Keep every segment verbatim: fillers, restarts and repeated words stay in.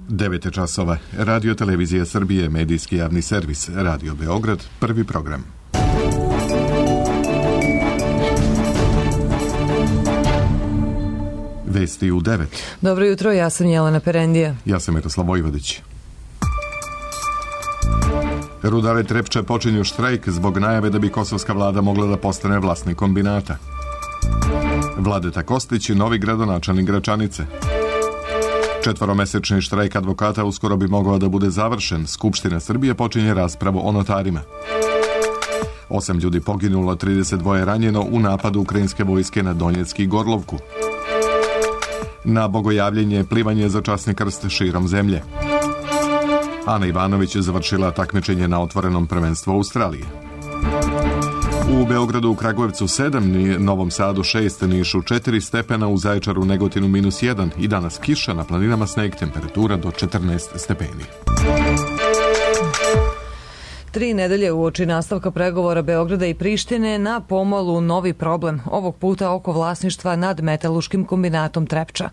devet časova. Radio Televizija Srbije, medijski javni servis, Radio Beograd, prvi program. Vesti u devet. Dobro jutro, ja sam Jelena Perendija. Ja sam Miroslav Vojvodić. Rudare Trepče počinju štrajk zbog najave da bi kosovska vlada mogla da postane vlasnik kombinata. Vladeta Kostić, novi gradonačelnik Gračanice. Četvoromesečni štrajk advokata uskoro bi mogao da bude završen. Skupština Srbije počinje raspravu o notarima. Osam ljudi poginulo, trideset dva ranjeno u napadu ukrajinske vojske na Donjecki Gorlovku. Na bogojavljenje plivanje za časni krst širom zemlje. Ana Ivanović je završila takmičenje na otvorenom prvenstvu Australije. U Beogradu, u Kragujevcu sedam, Novom Sadu šest, Nišu četiri stepena, u Zaječaru, Negotinu minus jedan i danas kiša, na planinama sneg, temperatura do četrnaest stepeni. Tri nedelje uoči nastavka pregovora Beograda i Prištine na pomolu novi problem, ovog puta oko vlasništva nad metalurškim kombinatom Trepča.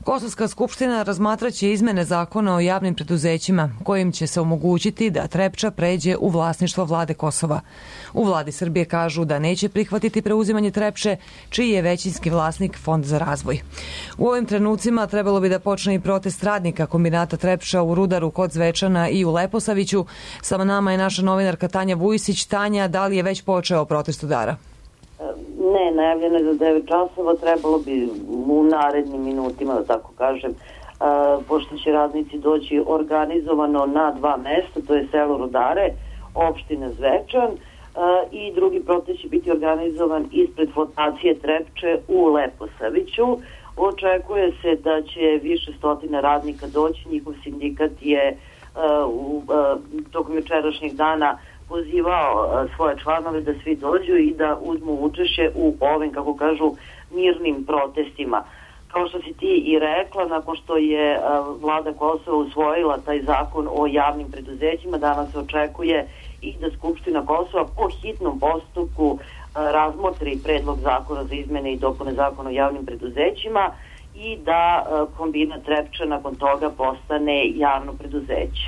Kosovska skupština razmatraće izmene zakona o javnim preduzećima, kojim će se omogućiti da Trepča pređe u vlasništvo vlade Kosova. U vladi Srbije kažu da neće prihvatiti preuzimanje Trepče, čiji je većinski vlasnik Fond za razvoj. U ovim trenucima trebalo bi da počne i protest radnika kombinata Trepča u Rudaru kod Zvečana i u Leposaviću. Sama nama je naša novinarka Tanja Vujsić. Tanja, da li je već počeo protest udara? Ne, najavljeno je za devet časova, trebalo bi u narednim minutima, da tako kažem, uh, pošto će radnici doći organizovano na dva mesta, to je selo Rudare, opština Zvečan, uh, i drugi protest će biti organizovan ispred fondacije Trepče u Leposaviću. Očekuje se da će više stotina radnika doći, njihov sindikat je uh, u, uh, tokom jučerašnjeg dana pozivao uh, svoje članove da svi dođu i da uzmu učešće u ovim, kako kažu, mirnim protestima. Kao što si ti i rekla, nakon što je uh, vlada Kosova usvojila taj zakon o javnim preduzećima, danas se očekuje i da Skupština Kosova po hitnom postupku uh, razmotri predlog zakona za izmene i dopune zakona o javnim preduzećima i da uh, kombinat Trepča nakon toga postane javno preduzeće.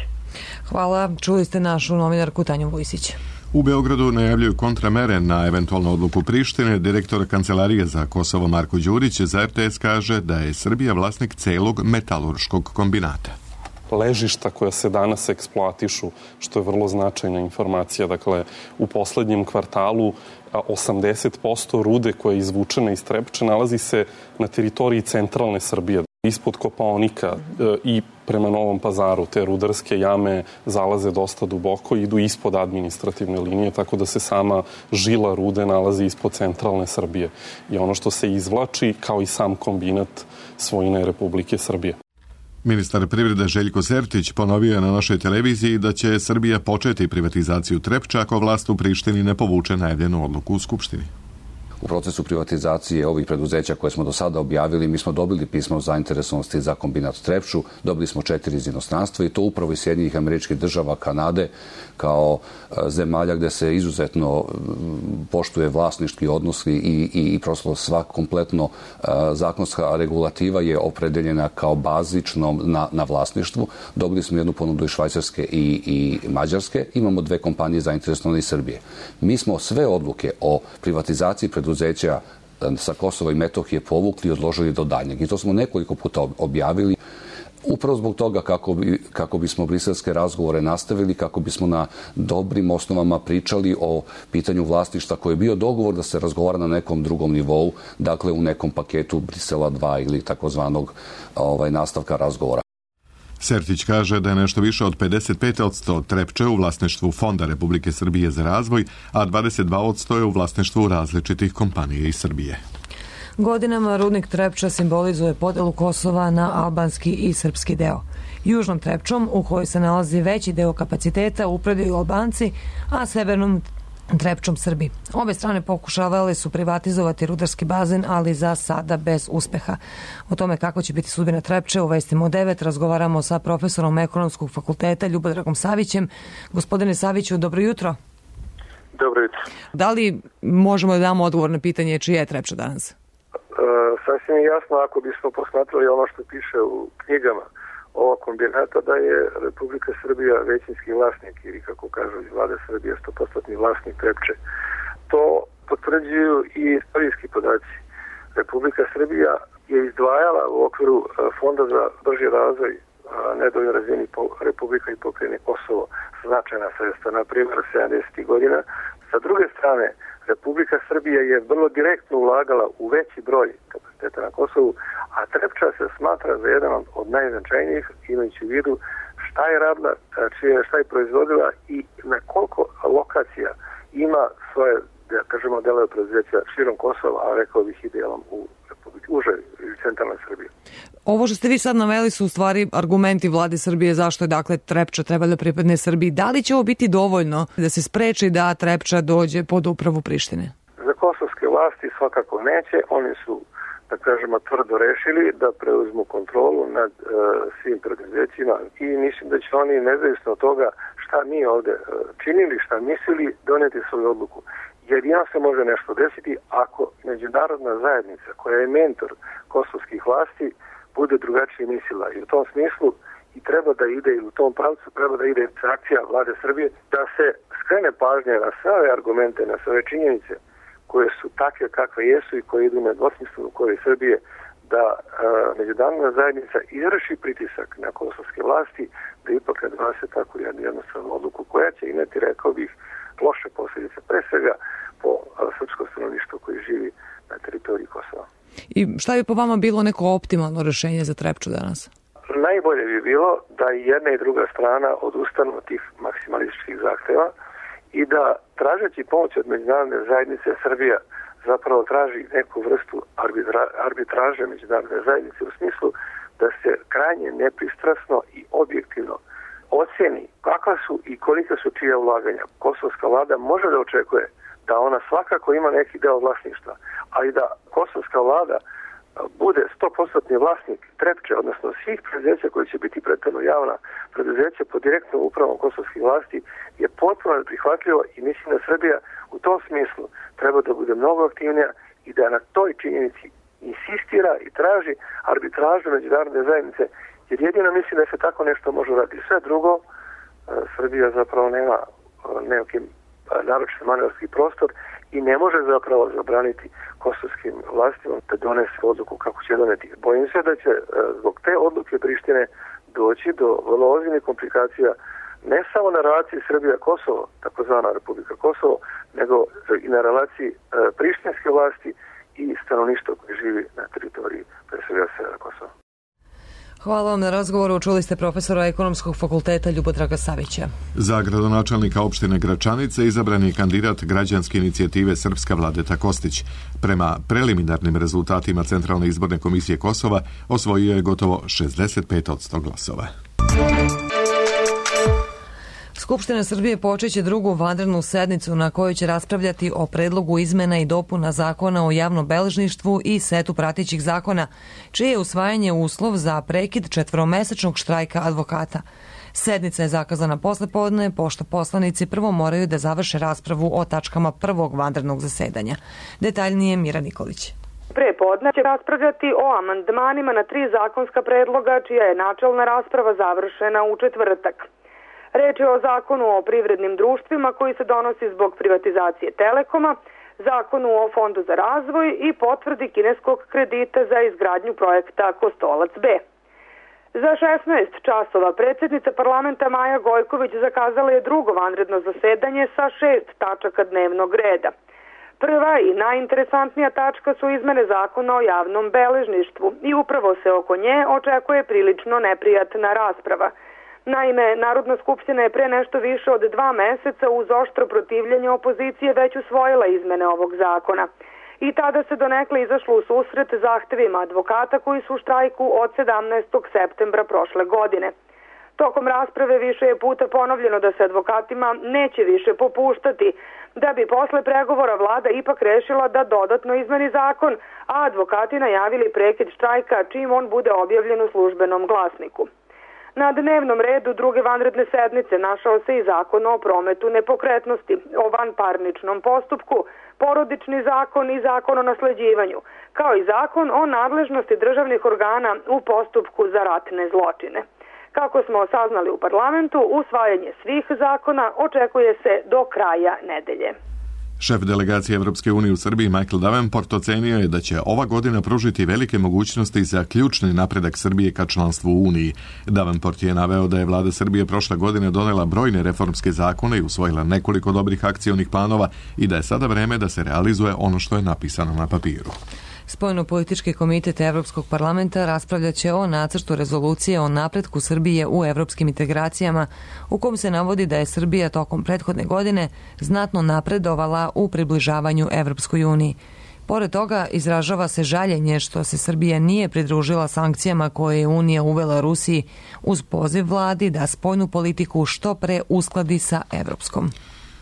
Hvala. Čuli ste našu novinarku Tanju Vujsić. U Beogradu najavljuju kontramere na eventualnu odluku Prištine. Direktor Kancelarije za Kosovo Marko Đurić za R T S kaže da je Srbija vlasnik celog metalurškog kombinata. Ležišta koja se danas eksploatišu, što je vrlo značajna informacija. Dakle, u poslednjem kvartalu osamdeset posto rude koja je izvučena iz Trepče nalazi se na teritoriji centralne Srbije. Ispod Kopaonika i prema Novom Pazaru te rudarske jame zalaze dosta duboko i idu ispod administrativne linije, tako da se sama žila rude nalazi ispod centralne Srbije. I ono što se izvlači, kao i sam kombinat, svojina je Republike Srbije. Ministar privrede Željko Sertić ponovio je na našoj televiziji da će Srbija početi privatizaciju Trepča ako vlast u Prištini ne povuče najavljenu odluku u Skupštini. U procesu privatizacije ovih preduzeća koje smo do sada objavili, mi smo dobili pismo o zainteresovanosti za kombinat Trepču, dobili smo četiri iz inostranstva i to upravo iz Sjedinjenih Američkih Država, Kanade, kao zemalja gde se izuzetno poštuje vlasnički odnos i, i, i prosto sva kompletno zakonska regulativa je opredeljena kao bazično na, na vlasništvu. Dobili smo jednu ponudu iz Švajcarske i, i Mađarske. Imamo dve kompanije zainteresovane iz Srbije. Mi smo sve odluke o privatizaciji preduzeća sa Kosova i Metohije povukli i odložili do daljnjeg. I to smo nekoliko puta objavili. Upravo zbog toga kako, bi, kako bismo briselske razgovore nastavili, kako bismo na dobrim osnovama pričali o pitanju vlasništva koji je bio dogovor da se razgovara na nekom drugom nivou, dakle u nekom paketu Brisela dva ili takozvanog ovaj, nastavka razgovora. Sertić kaže da je nešto više od pedeset pet posto Trepče u vlasništvu Fonda Republike Srbije za razvoj, a dvadeset dva posto je u vlasništvu različitih kompanija iz Srbije. Godinama rudnik Trepča simbolizuje podelu Kosova na albanski i srpski deo. Južnom Trepčom, u kojoj se nalazi veći deo kapaciteta, upravljaju Albanci, a severnom Trepčom Srbi. Obe strane pokušavale su privatizovati rudarski bazen, ali za sada bez uspeha. O tome kako će biti sudbina Trepče u Vestima u devet razgovaramo sa profesorom Ekonomskog fakulteta Ljubodragom Savićem. Gospodine Saviću, dobro jutro. Dobro jutro. Da li možemo da damo odgovor na pitanje čija je Trepča danas? Uh, sasvim jasno, ako bismo posmatrali ono što piše u knjigama ovog kombinata da je Republika Srbija većinski vlasnik ili kako kažu iz vlade Srbije sto posto vlasnik Trepče. To potvrđuju i istorijski podaci. Republika Srbija je izdvajala u okviru Fonda za brži razvoj nedovoljno razvijenih republika i pokrajine Kosovo značajna sredstva, na primjer sedamdesetih godina. Sa druge strane, Republika Srbija je vrlo direktno ulagala u veći broj kapaciteta na Kosovu, a Trepča se smatra za jedan od najznačajnijih, imajući u vidu šta je radila, šta je proizvodila i na koliko lokacija ima svoje, da kažemo, delove preduzeća širom Kosova, a rekao bih i delom u Republike, užoj ili centralnoj Srbiji. Ovo što ste vi sad naveli su u stvari argumenti vlade Srbije zašto je dakle Trepča treba da pripadne Srbiji. Da li će ovo biti dovoljno da se spreči da Trepča dođe pod upravu Prištine? Za kosovske vlasti svakako neće. Oni su, da kažemo, tvrdo rešili da preuzmu kontrolu nad uh, svim preduzećima i mislim da će oni, nezavisno od toga šta mi ovde uh, činili, šta mislili, doneti svoju odluku. Jedino se može nešto desiti ako međunarodna zajednica koja je mentor kosovskih vlasti bude drugačije mislila. I u tom smislu i treba da ide, i u tom pravcu treba da ide akcija vlade Srbije, da se skrene pažnje na sve ove argumente, na sve ove činjenice koje su takve kakve jesu i koje idu na dvosmislenu korist Srbije, da a, međunarodna zajednica izvrši pritisak na kosovske vlasti, da ipak ne donese tako jednu jednostavnu odluku koja će imati, rekao bih, loše posljedice, pre svega po srpsko stanovništvo koji živi na teritoriji Kosova. I šta bi po vama bilo neko optimalno rešenje za Trepču danas? Najbolje bi bilo da i jedna i druga strana odustanu od tih maksimalističkih zahteva i da, tražeći pomoć od međunarodne zajednice, Srbija zapravo traži neku vrstu arbitra, arbitraže međunarodne zajednice u smislu da se krajnje nepristrasno i objektivno oceni kakva su i kolika su čija ulaganja. Kosovska vlada može da očekuje da ona svakako ima neki deo vlasništva, ali da kosovska vlada bude sto posto vlasnik Trepče, odnosno svih preduzeća koji će biti prethodno javna preduzeća pod direktnom upravom kosovskih vlasti, je potpuno neprihvatljivo i mislim da Srbija u tom smislu treba da bude mnogo aktivnija i da na toj činjenici insistira i traži arbitražu međunarodne zajednice, jer jedino mislim da se tako nešto može raditi. Sve drugo, Srbija zapravo nema nekim naročito manevarski prostor i ne može zapravo zabraniti kosovskim vlastima da donese odluku kako će doneti. Bojim se da će zbog te odluke Prištine doći do vrlo ozbiljnih komplikacija ne samo na relaciji Srbija-Kosovo, takozvana Republika Kosovo, nego i na relaciji prištinske vlasti i stanovništva koji živi na teritoriji pre svega severa Kosova. Hvala vam na razgovoru. Čuli ste profesora Ekonomskog fakulteta Ljubodraga Savića. Za gradonačelnika opštine Gračanice izabran je kandidat građanske inicijative Srpska Vladeta Kostić. Prema preliminarnim rezultatima Centralne izborne komisije Kosova osvojio je gotovo šezdeset pet posto glasova. Skupština Srbije počeće drugu vanrednu sednicu na kojoj će raspravljati o predlogu izmena i dopuna zakona o javnom beležništvu i setu pratećih zakona, čije je usvajanje uslov za prekid četvoromesečnog štrajka advokata. Sednica je zakazana posle podne, pošto poslanici prvo moraju da završe raspravu o tačkama prvog vanrednog zasedanja. Detaljnije Mira Nikolić. Pre podne će raspravljati o amandmanima na tri zakonska predloga, čija je načelna rasprava završena u četvrtak. Reč je o zakonu o privrednim društvima koji se donosi zbog privatizacije Telekoma, zakonu o Fondu za razvoj i potvrdi kineskog kredita za izgradnju projekta Kostolac B. Za šesnaest časova predsjednica parlamenta Maja Gojković zakazala je drugo vanredno zasedanje sa šest tačaka dnevnog reda. Prva i najinteresantnija tačka su izmene zakona o javnom beležništvu i upravo se oko nje očekuje prilično neprijatna rasprava. Naime, Narodna skupština je pre nešto više od dva meseca uz oštro protivljenje opozicije već usvojila izmene ovog zakona. I tada se donekle izašlo u susret zahtevima advokata koji su u štrajku od sedamnaestog septembra prošle godine. Tokom rasprave više je puta ponovljeno da se advokatima neće više popuštati, da bi posle pregovora vlada ipak rešila da dodatno izmeni zakon, a advokati najavili prekid štrajka čim on bude objavljen u službenom glasniku. Na dnevnom redu druge vanredne sednice našao se i zakon o prometu nepokretnosti, o vanparničnom postupku, porodični zakon i zakon o nasleđivanju, kao i zakon o nadležnosti državnih organa u postupku za ratne zločine. Kako smo saznali u parlamentu, usvajanje svih zakona očekuje se do kraja nedelje. Šef delegacije Evropske unije u Srbiji Michael Davenport ocenio je da će ova godina pružiti velike mogućnosti za ključni napredak Srbije ka članstvu u Uniji. Davenport je naveo da je vlada Srbije prošle godine donela brojne reformske zakone i usvojila nekoliko dobrih akcionih planova i da je sada vreme da se realizuje ono što je napisano na papiru. Spoljno-politički komitet Evropskog parlamenta raspravljaće o nacrtu rezolucije o napretku Srbije u evropskim integracijama, u kom se navodi da je Srbija tokom prethodne godine znatno napredovala u približavanju Evropskoj uniji. Pored toga, izražava se žaljenje što se Srbija nije pridružila sankcijama koje je Unija uvela Rusiji uz poziv vladi da spoljnu politiku što pre uskladi sa evropskom.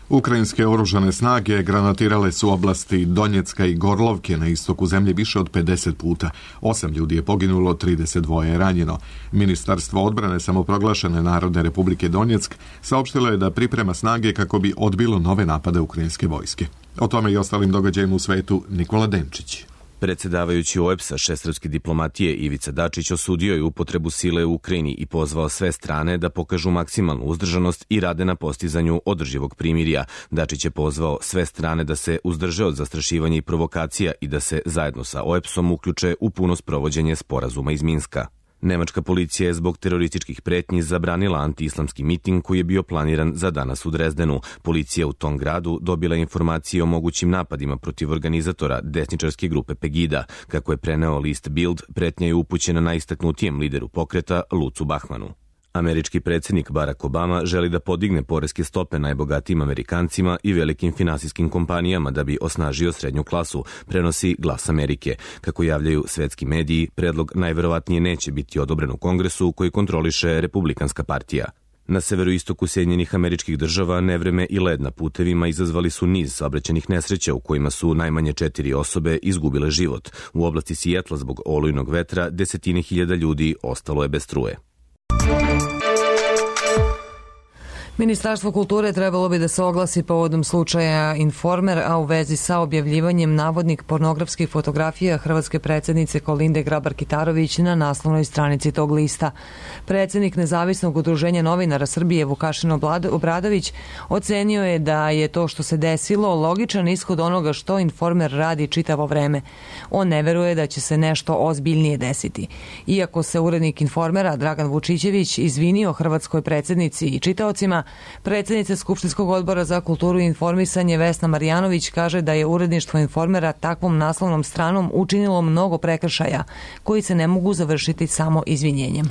Ukrajinske oružane snage granatirale su oblasti Donjecka i Gorlovke na istoku zemlje više od pedeset puta. Osam ljudi je poginulo, trideset dva je ranjeno. Ministarstvo odbrane samoproglašene Narodne republike Donjeck saopštilo je da priprema snage kako bi odbilo nove napade ukrajinske vojske. O tome i ostalim događajima u svetu Nikola Denčić. Predsjedavajući O E B S-a šestarske diplomatije Ivica Dačić osudio je upotrebu sile u Ukrajini i pozvao sve strane da pokažu maksimalnu uzdržanost i rade na postizanju održivog primirja. Dačić je pozvao sve strane da se uzdrže od zastrašivanja i provokacija i da se zajedno sa O E B S-om uključe u puno sprovođenje sporazuma iz Minska. Nemačka policija je zbog terorističkih pretnji zabranila antiislamski miting koji je bio planiran za danas u Drezdenu. Policija u tom gradu dobila informacije o mogućim napadima protiv organizatora desničarske grupe Pegida. Kako je preneo list Bild, pretnja je upućena najistaknutijem lideru pokreta Lucu Bahmanu. Američki predsjednik Barack Obama želi da podigne poreske stope najbogatijim Amerikancima i velikim finansijskim kompanijama da bi osnažio srednju klasu, prenosi Glas Amerike. Kako javljaju svetski mediji, predlog najverovatnije neće biti odobren u Kongresu koji kontroliše Republikanska partija. Na severoistoku Sjedinjenih Američkih Država nevreme i led na putevima izazvali su niz saobraćajnih nesreća u kojima su najmanje četiri osobe izgubile život. U oblasti Sijetla zbog olujnog vetra desetine hiljada ljudi ostalo je bez struje. Ministarstvo kulture trebalo bi da se oglasi povodom slučaja Informer, a u vezi sa objavljivanjem navodnih pornografskih fotografija hrvatske predsjednice Kolinde Grabar-Kitarović na naslovnoj stranici tog lista. Predsjednik Nezavisnog udruženja novinara Srbije Vukašin Obradović ocenio je da je to što se desilo logičan ishod onoga što Informer radi čitavo vreme. On ne veruje da će se nešto ozbiljnije desiti. Iako se urednik Informera Dragan Vučićević izvinio hrvatskoj predsjednici i čitaocima, predsjednica Skupštinskog odbora za kulturu i informisanje Vesna Marjanović kaže da je uredništvo Informera takvom naslovnom stranom učinilo mnogo prekršaja koji se ne mogu završiti samo izvinjenjem.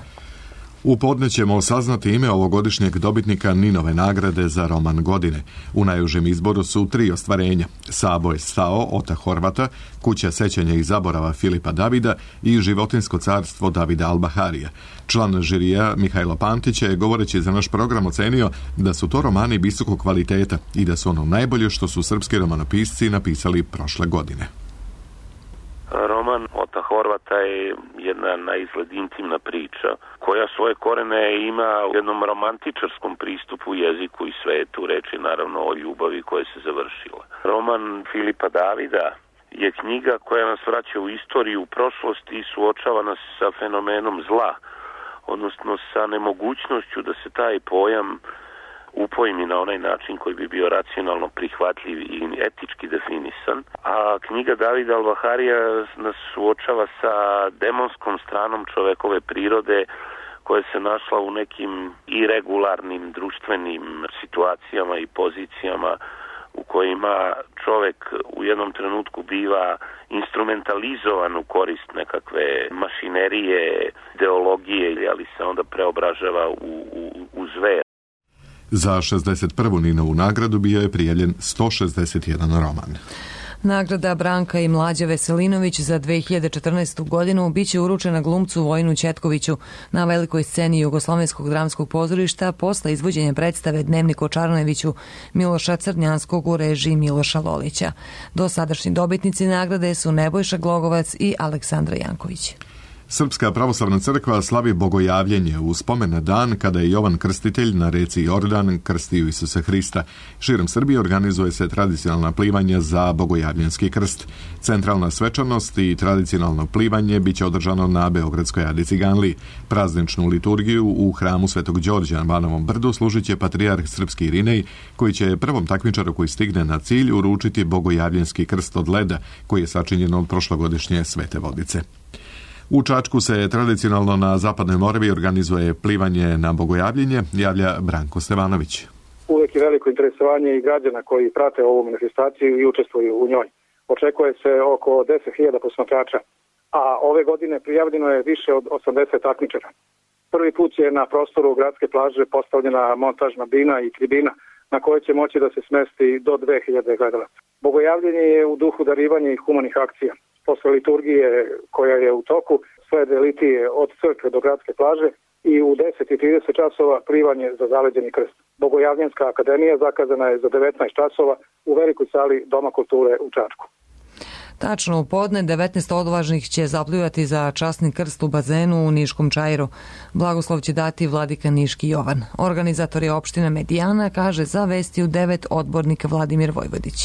U podne ćemo saznati ime ovogodišnjeg dobitnika Ninove nagrade za roman godine. U najužem izboru su tri ostvarenja: Sabo je stao Ota Horvata, Kuća sećanja i zaborava Filipa Davida i Životinjsko carstvo Davida Albaharija. Član žirija Mihajlo Pantić je, govoreći za naš program, ocenio da su to romani visokog kvaliteta i da su ono najbolje što su srpski romanopisci napisali prošle godine. Roman Ota Horvata je jedna na izgled intimna priča koja svoje korene ima u jednom romantičarskom pristupu jeziku i svetu, reči naravno o ljubavi koja se završila. Roman Filipa Davida je knjiga koja nas vraća u istoriju, u prošlost i suočava nas sa fenomenom zla, odnosno sa nemogućnošću da se taj pojam upojmi na onaj način koji bi bio racionalno prihvatljiv i etički definisan. A knjiga Davida Albaharija nas suočava sa demonskom stranom čovekove prirode koja se našla u nekim iregularnim društvenim situacijama i pozicijama u kojima čovek u jednom trenutku biva instrumentalizovan u korist nekakve mašinerije, ideologije, ali se onda preobražava u, u, u zver. Za šezdeset prvu Ninovu nagradu bio je prijavljen sto šezdeset jedan roman. Nagrada Branka i Mlađa Veselinović za dve hiljade četrnaestu godinu biće uručena glumcu Vojinu Ćetkoviću na velikoj sceni Jugoslovenskog dramskog pozorišta posle izvođenja predstave Dnevnik o Čarneviću Miloša Crnjanskog u režiji Miloša Lolića. Dosadašnji dobitnici nagrade su Nebojša Glogovac i Aleksandra Janković. Srpska pravoslavna crkva slavi bogojavljenje u spomen na dan kada je Jovan Krstitelj na reci Jordan krstio Isusa Hrista. Širom Srbije organizuje se tradicionalna plivanja za bogojavljenski krst. Centralna svečanost i tradicionalno plivanje biće održano na Beogradskoj Adi Ciganliji. Prazničnu liturgiju u hramu Svetog Đorđa na Banovom brdu služit će patrijarh srpski Irinej, koji će prvom takmičaru koji stigne na cilj uručiti bogojavljenski krst od leda, koji je sačinjen od prošlogodišnje Svete Vodice. U Čačku se tradicionalno na Zapadnoj Moravi organizuje plivanje na bogojavljenje, javlja Branko Stevanović. Uvijek je veliko interesovanje i građana koji prate ovu manifestaciju i učestvuju u njoj. Očekuje se oko deset hiljada posmatrača, a ove godine prijavljeno je više od osamdeset takmičara. Prvi put je na prostoru gradske plaže postavljena montažna bina i tribina na kojoj će moći da se smesti do dve hiljade gledalaca. Bogojavljenje je u duhu darivanja i humanih akcija. Posle liturgije koja je u toku, slede litije od crkve do gradske plaže i u deset i trideset časova plivanje za zaleđeni krst. Bogojavljenska akademija zakazana je za devetnaest časova u velikoj sali Doma kulture u Čačku. Tačno u podne devetnaest odvažnih će zaplivati za časni krst u bazenu u Niškom Čairu. Blagoslov će dati vladika Niški Jovan. Organizator je opština Medijana, kaže za Vesti u devet odbornik Vladimir Vojvodić.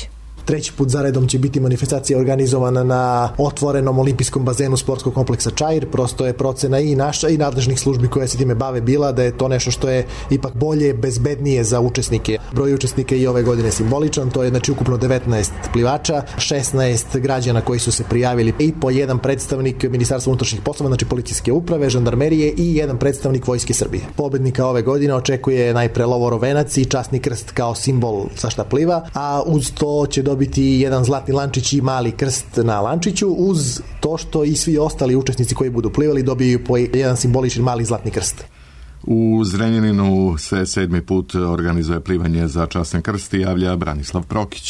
Treći put zaredom će biti manifestacija organizovana na otvorenom olimpijskom bazenu sportskog kompleksa Čair. Prosto je procena i naša i nadležnih službi koje se time bave bila da je to nešto što je ipak bolje, bezbednije za učesnike. Broj učesnika i ove godine simboličan, to je znači ukupno devetnaest plivača, šesnaest građana koji su se prijavili i po jedan predstavnik Ministarstva unutrašnjih poslova, znači policijske uprave, žandarmerije i jedan predstavnik Vojske Srbije. Pobednika ove godine očekuje najpre lovorovenac i časni krst kao simbol sa šta pliva, a uz to će dobiti biti jedan zlatni lančić i mali krst na lančiću, uz to što i svi ostali učesnici koji budu plivali dobiju po jedan simbolični mali zlatni krst. U Zrenjaninu se sedmi put organizuje plivanje za časni krst i javlja Branislav Prokić.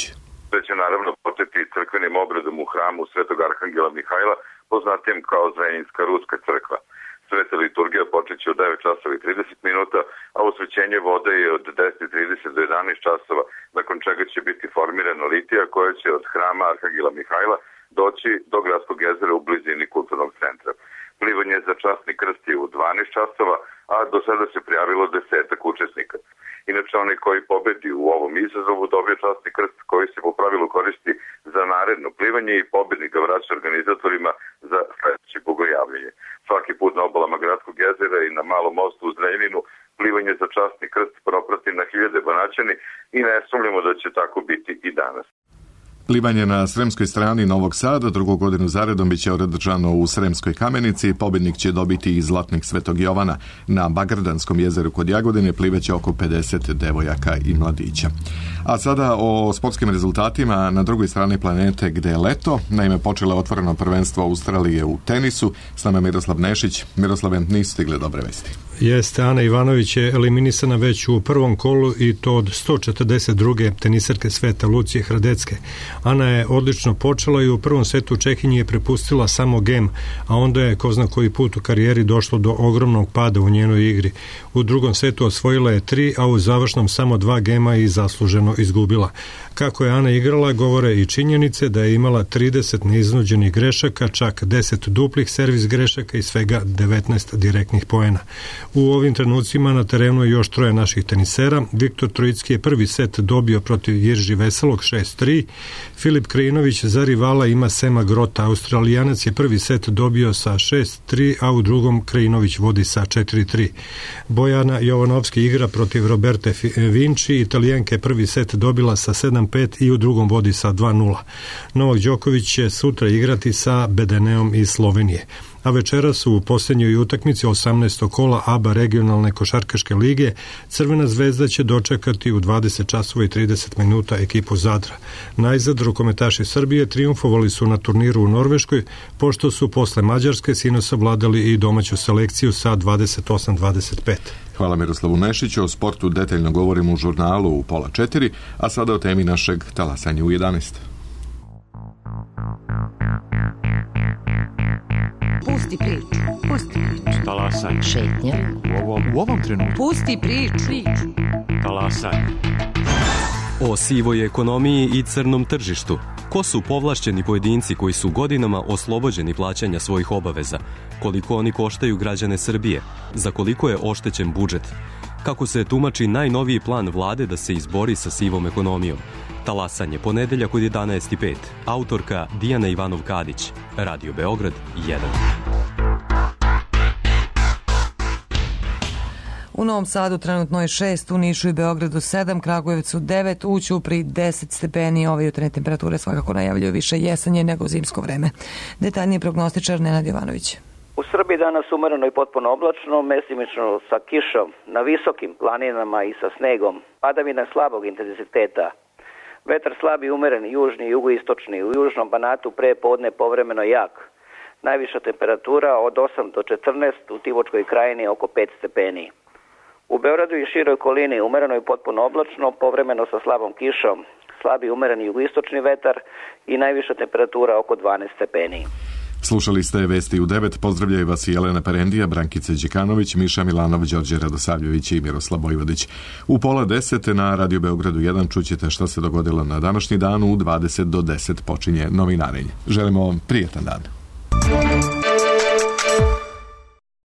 Da će naravno početi crkvenim obredom u hramu Svetog Arhangela Mihajla, poznatijem kao Zrenjinska Ruska crkva. Sveta liturgija počeće od devet časova i trideset minuta, a osvećenje vode je od deset i trideset do jedanaest časova, nakon čega će biti formirana litija koja će od hrama Arhangela Mihajla doći do Gradskog jezera u blizini kulturnog centra. Plivanje za časni krst je u dvanaest časova, a do sada se prijavilo desetak učesnika. Inače, onaj koji pobedi u ovom izazovu dobije časni krst koji se po pravilu koristi za naredno plivanje i pobednik ga vraća organizatorima za sledeće bogojavljenje. Svaki put na obalama Gradskog jezera i na malom mostu u Zrenjaninu plivanje za časni krst proprati na hiljade Banaćani i ne sumnjamo da će tako biti i danas. Plivanje na sremskoj strani Novog Sada drugu godinu zaredom biće održano u Sremskoj Kamenici. Pobednik će dobiti i zlatnik Svetog Jovana. Na Bagrdanskom jezeru kod Jagodine pliveće oko pedeset devojaka i mladića. A sada o sportskim rezultatima na drugoj strani planete gde je leto. Naime, počelo je otvoreno prvenstvo Australije u tenisu. S nama Miroslav Nešić. Miroslave, nisu stigle dobre vesti. Jeste, Ana Ivanović je eliminisana već u prvom kolu i to od sto četrdeset druge tenisarke sveta Lucije Hradecke. Ana je odlično počela i u prvom setu Čehinji je prepustila samo gem, a onda je ko zna koji put u karijeri došlo do ogromnog pada u njenoj igri. U drugom setu osvojila je tri, a u završnom samo dva gema i zasluženo izgubila. Kako je Ana igrala, govore i činjenice da je imala trideset neiznuđenih grešaka, čak deset duplih servis grešaka i svega devetnaest direktnih poena. U ovim trenucima na terenu je još troje naših tenisera. Viktor Trojicki je prvi set dobio protiv Jirži Veselog šest tri. Filip Krajinović za rivala ima Sema Grota. Australijanac je prvi set dobio sa šest tri, a u drugom Krajinović vodi sa četiri tri. Bojana Jovanovski igra protiv Roberte Vinci. Italijanka je prvi set dobila sa sedam pet i u drugom vodi sa dva nula. Novak Đoković će sutra igrati sa Bedeneom iz Slovenije. A večera su u posljednjoj utakmici osamnaestog kola A B A regionalne košarkaške lige. Crvena zvezda će dočekati u dvadeset časova i trideset minuta ekipu Zadra. Najzad rukometaši Srbije triumfovali su na turniru u Norveškoj, pošto su posle Mađarske sinoć savladali i domaću selekciju sa dvadeset osam dvadeset pet. Hvala Miroslavu Nešiću. O sportu detaljno govorimo u žurnalu u pola četiri, a sada o temi našeg talasanja u jedanaest. Pusti priču, pusti priču. Talasaj. Šetnja. U ovom, u ovom trenutku. Pusti priču. Talasaj. O sivoj ekonomiji i crnom tržištu. Ko su povlašćeni pojedinci koji su godinama oslobođeni plaćanja svojih obaveza? Koliko oni koštaju građane Srbije? Za koliko je oštećen budžet? Kako se tumači najnoviji plan vlade da se izbori sa sivom ekonomijom? Talasanje, ponedeljak od jedanaest i pet. Autorka Dijana Ivanov-Kadić. Radio Beograd jedan. U Novom Sadu trenutno je šest, u Nišu i Beogradu sedam, Kragujevcu devet, u Ćupriji deset stepeni. Ove jutarnje temperature svakako najavljuju više jesanje nego zimsko vreme. Detaljniji prognostičar Nenad Jovanović. U Srbiji danas umereno i potpuno oblačno, mestimično sa kišom na visokim planinama i sa snegom, padavina slabog intenziteta. Vetar slabi, umeren, južni i jugoistočni, u južnom Banatu pre podne povremeno jak. Najviša temperatura od osam do četrnaest, u Tivočkoj krajini oko pet stepeni. U Beogradu i široj okolini umereno i potpuno oblačno, povremeno sa slabom kišom, slabi umeren jugoistočni vetar i najviša temperatura oko dvanaest stepeni. Slušali ste Vesti u devet, pozdravljaju vas i Jelena Perendija, Brankica Đekanović, Miša Milanov, Đorđe Radosavljević i Miroslav Vojvodić. U pola deset na Radio Beogradu jedan čućete šta se dogodilo na današnji dan, u dvadeset do deset počinje novinarenje. Želimo vam prijetan dan.